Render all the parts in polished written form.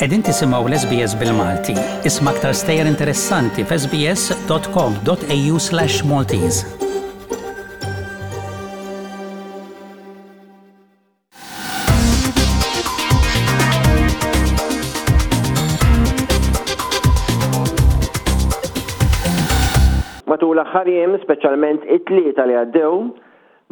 Qegħdin tisimgħu l-SBS bil-Malti. Isma' aktar stejjer interessanti f'sbs.com.au/maltese. Matul l-aħħar jiem, speċjalment it-Tlieta li għaddew,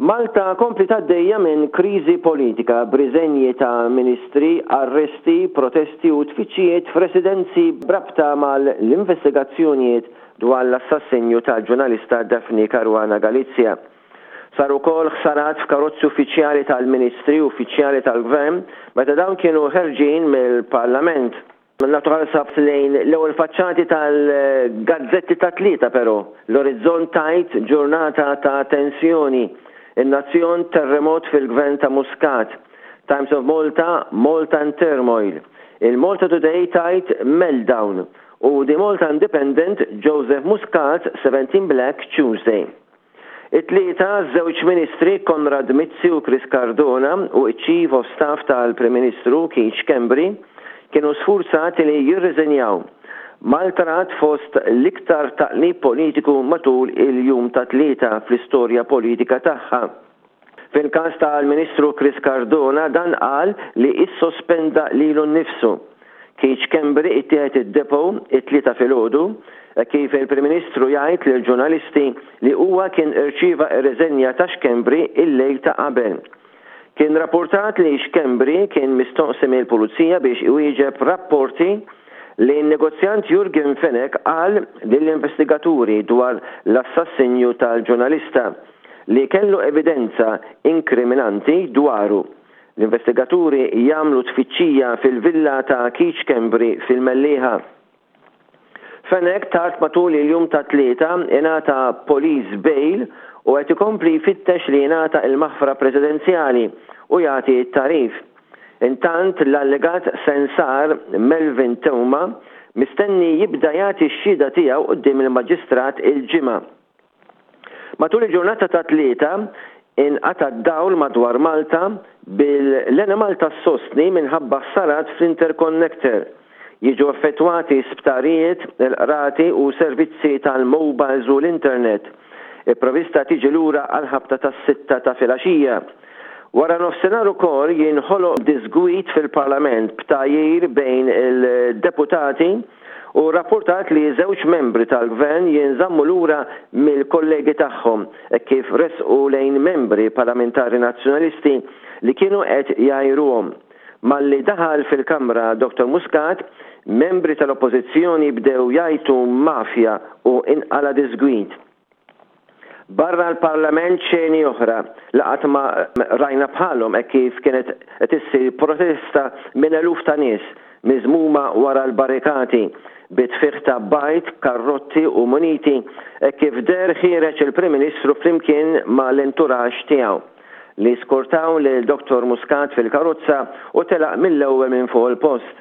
Malta kompliet għaddejja minn kriżi politika b'riżenji ta' ministri, arresti, protesti u tfittxijiet f'residenzi b'rabta mal-investigazzjonijiet dwar l-assassinju tal-ġurnalista Daphne Caruana Galizia. Saru wkoll ħsarat f'karozzi uffiċjali tal-Ministri u uffiċjali tal-Gvern meta dawn kienu ħerġin mill-Parlament. Nagħtu ħarsa lejn l-ewwel faċċati tal-gazzetti tat-Tlieta però, l-Orizzont tgħid ġurnata ta' tensjoni, In-Nazzjon terremot fil-Gvern ta' Muscat, Times of Malta Malta in turmoil, il-Malta Today tgħid meltdown u The Malta Independent Joseph Muscat 17 Black Tuesday. It-Tlieta, żewġ Ministri, Konrad Mizzi u Chris Cardona u ċ-Chief of Staff tal-Prim Ministru, Keith Schembri, kienu sfurzati li jirriżenjaw. Malta rat fost l-iktar taqlib politiku matul il-jum tat-Tlieta fl-istorja politika tagħha. Fil-każ tal-Ministru Chris Cardona dan qal li issospenda lilu nnifsu. Keith Schembri ittieħed id-Depot it-Tlieta filgħodu, hekk kif il-Prim Ministru jgħid lill-ġurnalisti li huwa kien irċieva r-riżenja ta' Schembri il-lejl ta' qabel. Kien rappurtat li Schembri kien mistoqsi mill-Pulizija biex iwieġeb rapporti li n-negozjant Yorgen Fenech qal lill-investigaturi dwar l-assassinju tal-ġurnalista. li kellu evidenza inkriminanti dwaru. L-investigaturi jagħmlu tfittxija fil-villa ta' Keith Schembri fil-Mellieħa. Fenech tard matul il-jum tat-Tlieta ingħata police bail u qed ikompli jfittex li jingħata l-maħfra presidenzjali u jagħti t-tagħrif. Intant l-allegat sensar Melvin Theuma mistenni jibda jagħti x-xhieda tiegħu quddiem il-Maġistrat il-Ġimgħa. Matul il-ġurnata tat-Tlieta, inqata' d-dawl madwar Malta bil-Enemalta ssostni minħabba ħsarat fl-interconnector. Jiġu affettwati sptarijiet, il-qrati u servizzi tal-mobiles u l-internet. Il-provista tiġi lura għall-ħabta tas-sitta ta' filgħaxija. Wara nofsinhar ukoll jinħoloq diżgwid fil-Parlament b'tgħajjir bejn il-deputati u rrappurtat li żewġ membri tal-Gvern jinżammu lura mill-kollegi tagħhom hekk kif resqu lejn membri parlamentari Nazzjonalisti li kienu qed jgħajruhom. Malli daħal fil-Kamra Dottor Muscat, membri tal-Oppożizzjoni bdew jgħajtu mafja u inqala' diżgwid. Barra l-Parlament xeni oħra li qatt ma rajna bħalhom hekk kif kienet qed issir protesta minn eluf ta' nies miżmuma wara l-barrikati bi tfigħ ta' bajd, karrotti u muniti hekk kif deher ħiereġ il-Prim Ministru flimkien ma' l-entourage tiegħu li skortaw lil Dottor Muscat fil-karozza u telaq mill-ewwel minn fuq il-post.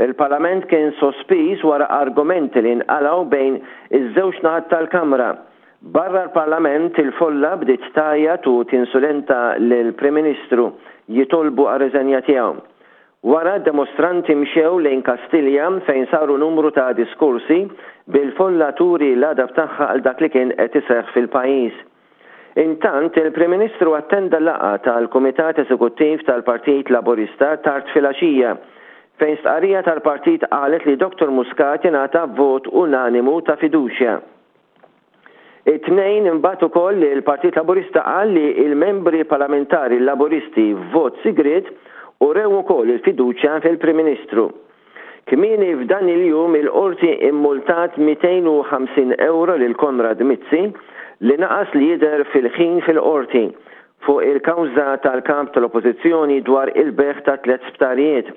Il-Parlament kien sospiż wara argumenti li nqalgħu bejn iż-żewġ naħat tal-Kamra. Barra l-Parlament il-folla bdiet tgħajjat u tinsulenta lill-Prim Ministru, jitolbu għar-riżenja tiegħu. Wara d-demostranti mxew lejn Kastilja fejn saru numru ta' diskorsi bil-folla turi l-għadab tagħha għal dak li kien qed iseħħ fil-pajjiż. Intant, il-Prim Ministru attenda laqgħa tal-Kumitat Eżekuttiv tal-Partit Laburista tard filgħaxija, fejn stqarrija tal-partit qalet li Dottor Muscat ingħata vot unanimu ta' fiduċja. It-Tnejn imbagħad ukoll il-Partit Laburista qal li l-membri parlamentari Laburisti f'vot sigriet urew ukoll il-fiduċja fil-Prim Ministru. Kmieni f'dan il-jum il-Qorti immultat 250 ewro lil Konrad Mizzi li naqas li jidher fil-ħin fil-Qorti fuq il-kawża tal-Kap tal-Oppożizzjoni dwar il-bejgħ ta' tlett sptarijiet.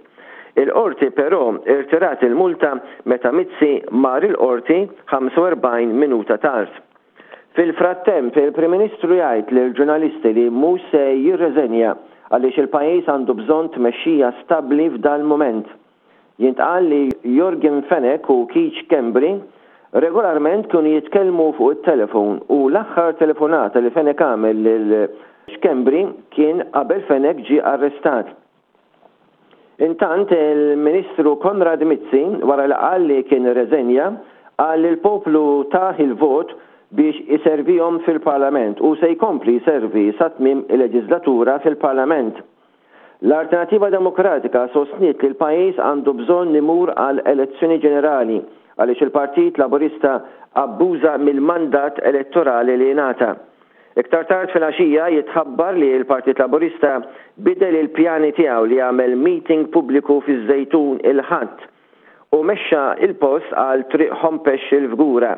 Il-Qorti però irtirat il-multa meta Mizzi mar il-Qorti 45 minuta tard. Fil-frattemp, il-Prim Ministru jgħid lill-ġurnalisti li mhux se jirreżenja għaliex il-pajjiż għandu bżonn tmexxija stabbli f'dal-mument. Jintqal li Yorgen Fenech u Keith Schembri regolarment kienu jitkellmu fuq it-telefon u l-aħħar telefonata li Fenech għamel lil Schembri kien qabel Fenech ġie arrestat. Intant, il-Ministru Konrad Mizzi, wara li qal li kien irreżenja, qal li l-poplu tah il-vot biex iservihom fil-Parlament u se jkompli jservi sa tmiem il-leġiżlatura fil-Parlament. L-Alternattiva Demokratika sostniet li l-pajjiż għandu bżonn imur għal elezzjoni ġenerali għaliex il-Partit Laburista abbuża mill-mandat elettorali li ngħata. Iktar tard filgħaxija jitħabbar li l-Partit Laburista bidel il-pjani tiegħu li jagħmel meeting pubbliku fiż-Żejtun il-Ħadd u mexxa l-post għal Triq Hompesch il-Fgura.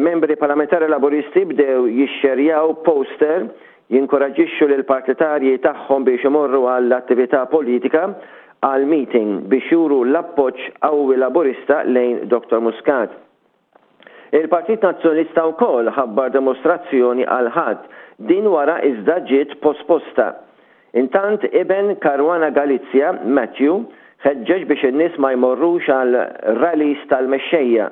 Membri Parlamentari Laburisti bdew jixxerjaw poster jinkoraġġixxu lill-partitarji tagħhom biex imorru għall-attività politika għall-meeting biex juru l-appoġġ qawwi Laburista lejn Dottor Muscat. Il-Partit Nazzjonalista wkoll ħabbar demostrazzjoni għall-Ħadd, din wara iżda ġiet posposta. Intant iben Caruana Galizia, Matthew, ħeġġeġ biex in-nies ma jmorrux għal rallies tal-mexxejja.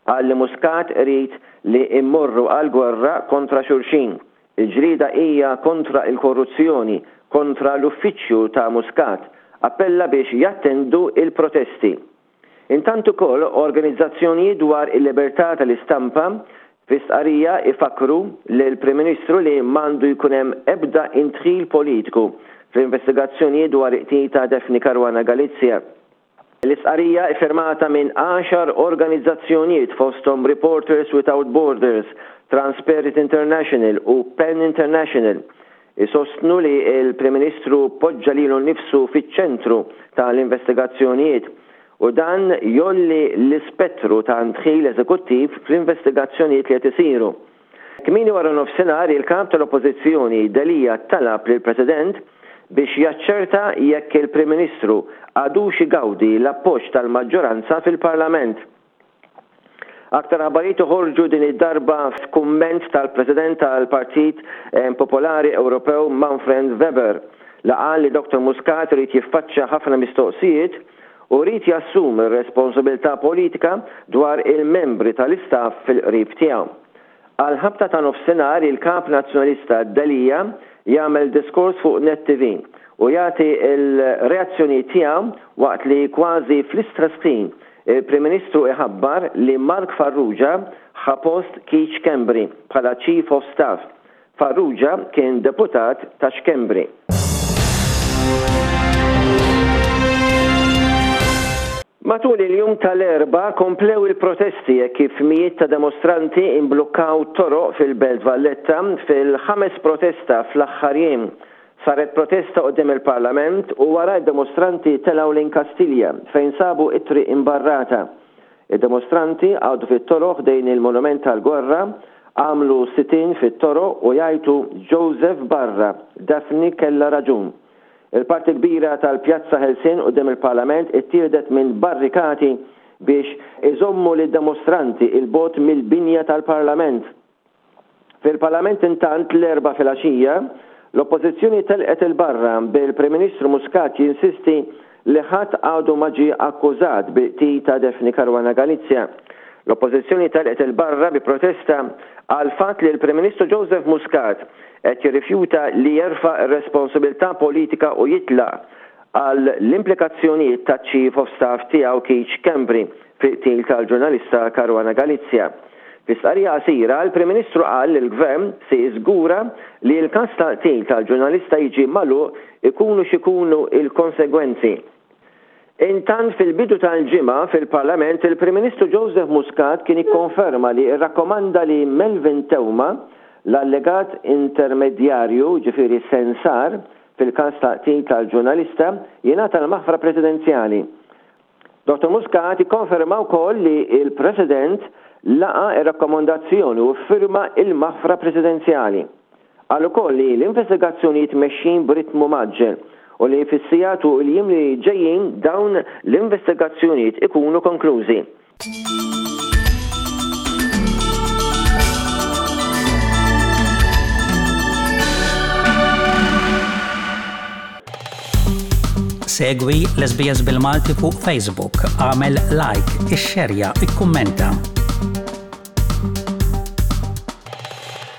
Qal li Muscat irid li mmorru għall-gwerra kontra xulxin. Il-ġlieda hija kontra l-korruzzjoni, kontra l-uffiċċju ta' Muscat. Appella biex jattendu l-protesti. Intant ukoll organizzazzjonijiet dwar il-libertà tal-istampa fi stqarrija jfakkru lill-Prim Ministru li m'għandu jkun hemm ebda indħil politiku fl-investigazzjonijiet dwar il-qtil ta' Daphne Caruana Galizia. L-istqarrija iffirmata minn għaxar organizzazzjonijiet fosthom Reporters Without Borders, Transparency International u pen International Isostnu li l-Prim Ministru poġġa lilu nnifsu fiċ-ċentru ta' l-investigazzjonijiet u dan jgħolli l-ispettru ta' ndħil eżekuttiv fl-investigazzjonijiet li qed isiru. Kmieni waranofsinhar il-Kap tal-Oppożizzjoni Delia talab lill-President biex jaċċerta jekk il-Prim Ministru għadux igawdi l-appoġġ tal-maġġoranza fil-Parlament. Aktar aħbarijiet joħorġu din id-darba f'kumment tal-President tal-Partit Popolari Ewropew Manfred Weber li qal li Dottor Muscat irid jiffaċċja ħafna mistoqsijiet u jrid jassumi r-responsabilità politika dwar il-membri tal-istaff fil-qrib tiegħu. Għall-ħabta ta' nofsinhar il-Kap Nazzjonalista Delia jagħmel diskors fuq Net TV u jagħti l-reazzjonijiet tiegħu waqt li kważi fl-istess ħin il-Prim Ministru iħabbar li Mark Farrugia ħa post Keith Schembri bħala Chief of Staff. Farrugia kien deputat ta' Schembri. Matul il-jum tal-Erbgħa komplew il-protesti hekk kif mijiet ta' demostranti imblukkaw toroq fil-Belt Valletta fil-ħames protesta fl-aħħar jiem. Saret protesta quddiem il-Parlament u wara d-demostranti telgħu lejn Kastilja fejn sabu t-triq imbarrata. Id-demostranti qagħdu fit-toroq ħdejn il-Monument tal-Gwerra, għamlu sit-in fit-toroq u jgħajtu Joseph barra, Daphne kellha raġun. Il-parti l-kbira tal-Pjazza Ħelsien quddiem il-Parlament ittieħdet minn barrikati biex iżommu lid-demostranti 'il bogħod mill-binja tal-Parlament. Fil-Parlament intant l-Erbgħa filgħaxija, l-Oppożizzjoni telqet 'il barra bil-Prim Ministru Muscat jinsisti li ħadd għadu ma ġie akkużat bil-qtil ta' Daphne Caruana Galizia. L-Oppożizzjoni telqet 'il barra bi protesta għall-fatt li l-Prim Ministru Joseph Muscat qed jirrifjuta li jerfa' r-responsabilità politika u jitlaq għal l-implikazzjonijiet taċ-Chief of Staff tiegħu Keith Schembri fil-qtil tal-ġurnalista Caruana Galizia. Fi stqarrija qasira, il-Prim Ministru qal li l-Gvern se jiżgura li l-każ tal-qtil tal-ġurnalista jiġi magħluq ikunu x'ikunu l-konsegwenzi. Intant fil-bidu tal-ġimgħa fil-Parlament il-Prim Ministru Joseph Muscat kien ikkonferma li rrakkomanda li Melvin Theuma, l-allegat intermedjarju, jiġifieri sensar, fil-każ tal-qtil tal-ġurnalista, jingħata l-maħfra presidenzjali. Dottor Muscat ikkonferma wkoll li l-President laqa' r-rakkomandazzjoni u ffirma l-maħfra presidenzjali. Qal ukoll li l-investigazzjonijiet mexjin b'ritmu mgħaġġel u li fis-sigħat u l-jiem li ġejjin dawn l-investigazzjonijiet ikunu konklużi. Segwi l-SBS bil-Malti fuq Facebook, għamel like, ixxerja, ikkummenta.